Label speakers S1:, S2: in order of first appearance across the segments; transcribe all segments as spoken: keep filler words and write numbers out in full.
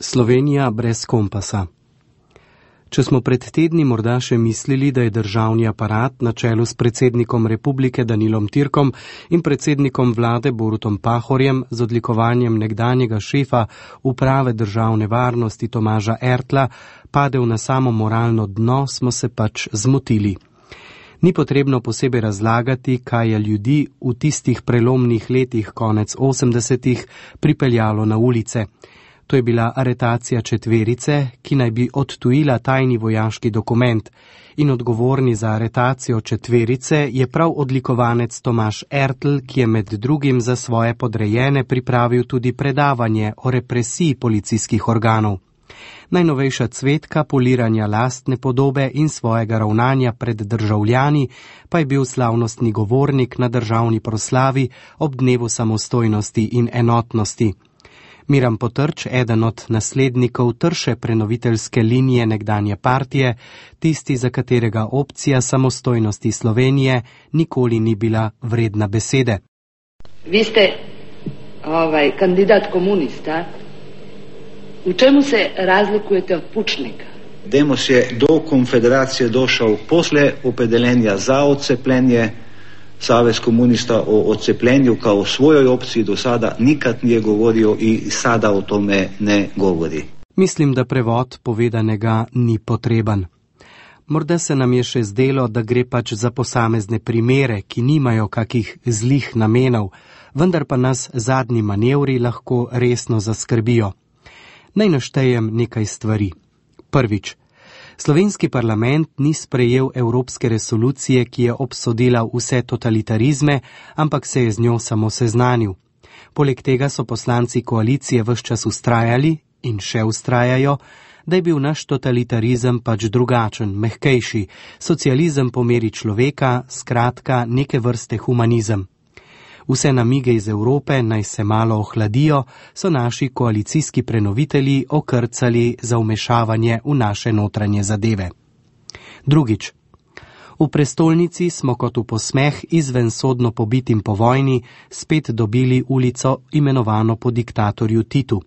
S1: Slovenija brez kompasa. Če smo pred tedni morda še mislili, da je državni aparat na čelu s predsednikom republike Danilom Türkom in predsednikom vlade Borutom Pahorjem z odlikovanjem nekdanjega šefa uprave državne varnosti Tomaža Ertla padel na samo moralno dno, smo se pač zmotili. Ni potrebno posebej razlagati, kaj je ljudi v tistih prelomnih letih konec osemdesetih pripeljalo na ulice. To je bila aretacija četverice, ki naj bi odtujila tajni vojaški dokument, in odgovorni za aretacijo četverice je prav odlikovanec Tomaž Ertl, ki je med drugim za svoje podrejene pripravil tudi predavanje o represiji policijskih organov. Najnovejša cvetka poliranja lastne podobe in svojega ravnanja pred državljani pa je bil slavnostni govornik na državni proslavi ob dnevu samostojnosti in enotnosti. Miran Potrč, eden od naslednikov trše prenoviteljske linije nekdanje partije, tisti, za katerega opcija samostojnosti Slovenije nikoli ni bila vredna besede.
S2: Vi ste ovaj, kandidat komunista. U čemu se razlikujete od Pučnika?
S3: Demos je do konfederacije došao posle opredeljenja za odcepljenje. Savez komunista o odcepljenju kao svojoj opciji do sada nikad nije govorio i sada o tome ne govori.
S1: Mislim, da prevod povedanega ni potreben. Morda se nam je še zdelo, da gre pač za posamezne primere, ki nimajo kakih zlih namenov, vendar pa nas zadnji manevri lahko resno zaskrbijo. Naj naštejem nekaj stvari. Prvič. Slovenski parlament ni sprejel evropske resolucije, ki je obsodila vse totalitarizme, ampak se je z njo samo seznanil. Poleg tega so poslanci koalicije ves čas ustrajali in še ustrajajo, da je bil naš totalitarizem pač drugačen, mehkejši, socializem po meri človeka, skratka neke vrste humanizem. Vse namige iz Evrope naj se malo ohladijo, so naši koalicijski prenovitelji okrcali za vmešavanje v naše notranje zadeve. Drugič. V prestolnici smo kot v posmeh izven sodno pobitim po vojni spet dobili ulico imenovano po diktatorju Titu.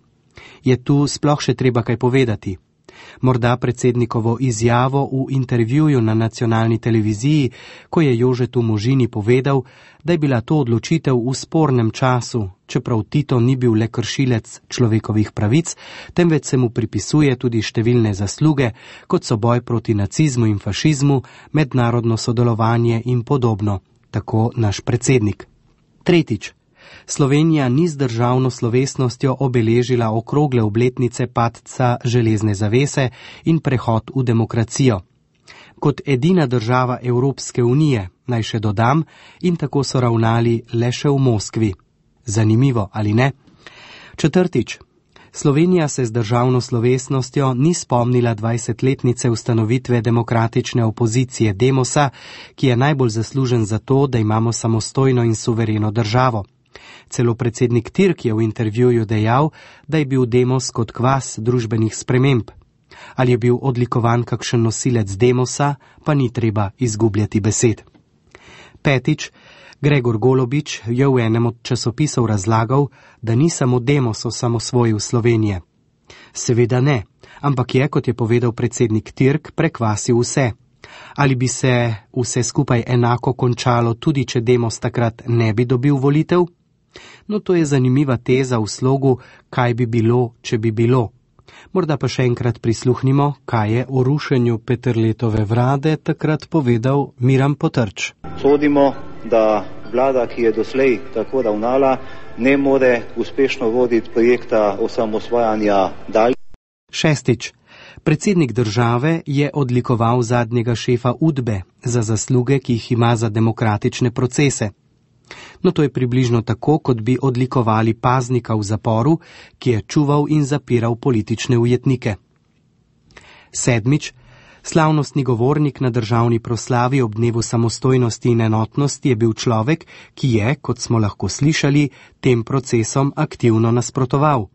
S1: Je tu sploh še treba kaj povedati? Morda predsednikovo izjavo v intervjuju na nacionalni televiziji, ko je Jožetu Možini povedal, da je bila to odločitev v spornem času, čeprav Tito ni bil le kršilec človekovih pravic, temveč se mu pripisuje tudi številne zasluge, kot so boj proti nacizmu in fašizmu, mednarodno sodelovanje in podobno, tako naš predsednik. Tretjič. Slovenija ni z državno slovesnostjo obeležila okrogle obletnice padca železne zavese in prehod v demokracijo. Kot edina država Evropske unije, naj še dodam, in tako so ravnali le še v Moskvi. Zanimivo, ali ne? Četrtič. Slovenija se z državno slovesnostjo ni spomnila dvajsetletnice ustanovitve demokratične opozicije Demosa, ki je najbolj zaslužen za to, da imamo samostojno in suvereno državo. Celo predsednik Türk je v intervjuju dejal, da je bil Demos kot kvas družbenih sprememb. Ali je bil odlikovan kakšen nosilec Demosa, pa ni treba izgubljati besed. Petič. Gregor Golobič je v enem od časopisov razlagal, da ni samo Demos osamosvojil Slovenije. Seveda ne, ampak je, kot je povedal predsednik Türk, prekvasil vse. Ali bi se vse skupaj enako končalo, tudi če Demos takrat ne bi dobil volitev? No, to je zanimiva teza v slogu, kaj bi bilo, če bi bilo. Morda pa še enkrat prisluhnimo, kaj je o rušenju Peterletove vlade takrat povedal Miran Potrč.
S3: Sodimo, da vlada, ki je doslej tako ravnala, ne more uspešno voditi projekta osamosvajanja dalje.
S1: Šestič. Predsednik države je odlikoval zadnjega šefa Udbe za zasluge, ki jih ima za demokratične procese. No, to je približno tako, kot bi odlikovali paznika v zaporu, ki je čuval in zapiral politične ujetnike. Sedmič. Slavnostni govornik na državni proslavi ob dnevu samostojnosti in enotnosti je bil človek, ki je, kot smo lahko slišali, tem procesom aktivno nasprotoval.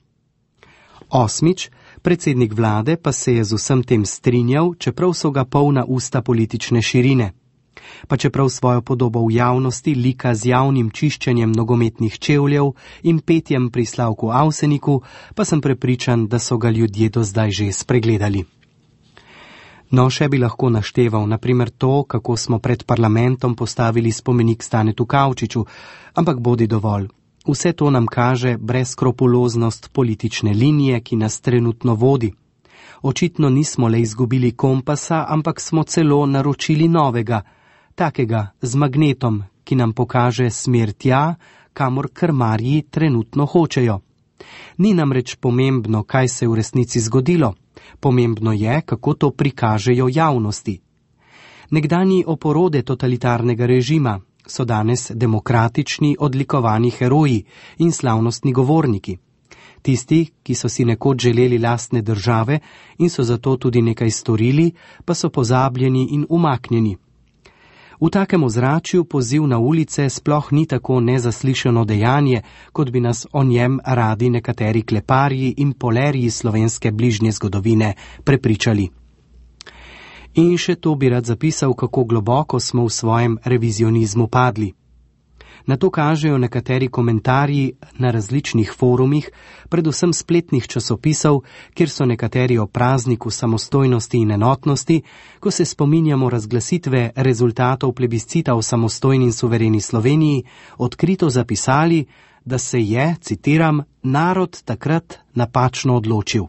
S1: Osmič. Predsednik vlade pa se je z vsem tem strinjal, čeprav so ga polna usta politične širine. Pa čeprav svojo podobo v javnosti lika z javnim čiščenjem nogometnih čevljev in petjem pri Slavku Avseniku, pa sem prepričan, da so ga ljudje do zdaj že spregledali. No, še bi lahko našteval, naprimer to, kako smo pred parlamentom postavili spomenik Stanetu Kavčiču, ampak bodi dovolj. Vse to nam kaže brezskrupuloznost politične linije, ki nas trenutno vodi. Očitno nismo le izgubili kompasa, ampak smo celo naročili novega, takega z magnetom, ki nam pokaže smer tja, kamor krmarji trenutno hočejo. Ni namreč pomembno, kaj se je v resnici zgodilo. Pomembno je, kako to prikažejo javnosti. Nekdanji oporode totalitarnega režima so danes demokratični odlikovani heroji in slavnostni govorniki. Tisti, ki so si nekoč želeli lastne države in so zato tudi nekaj storili, pa so pozabljeni in umaknjeni. V takem ozračju poziv na ulice sploh ni tako nezaslišano dejanje, kot bi nas o njem radi nekateri kleparji in polerji slovenske bližnje zgodovine prepričali. In še to bi rad zapisal, kako globoko smo v svojem revizionizmu padli. Na to kažejo nekateri komentarji na različnih forumih, predvsem spletnih časopisov, kjer so nekateri o prazniku samostojnosti in enotnosti, ko se spominjamo razglasitve rezultatov plebiscita v samostojni in suvereni Sloveniji, odkrito zapisali, da se je, citiram, narod takrat napačno odločil.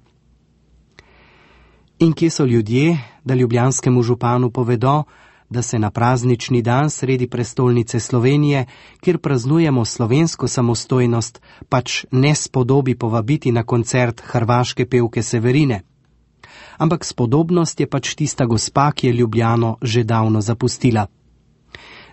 S1: In kje so ljudje, da ljubljanskemu županu povedo, da se na praznični dan sredi prestolnice Slovenije, kjer praznujemo slovensko samostojnost, pač ne spodobi povabiti na koncert hrvaške pevke Severine. Ampak spodobnost je pač tista gospa, ki je Ljubljano že davno zapustila.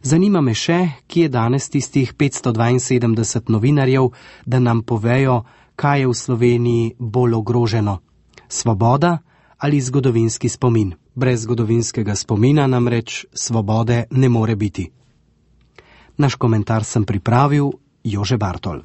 S1: Zanima me še, kje je danes tistih petsto dvainsedemdeset novinarjev, da nam povejo, kaj je v Sloveniji bolj ogroženo. Svoboda ali zgodovinski spomin? Brez zgodovinskega spomina namreč svobode ne more biti. Naš komentar sem pripravil Jože Bartol.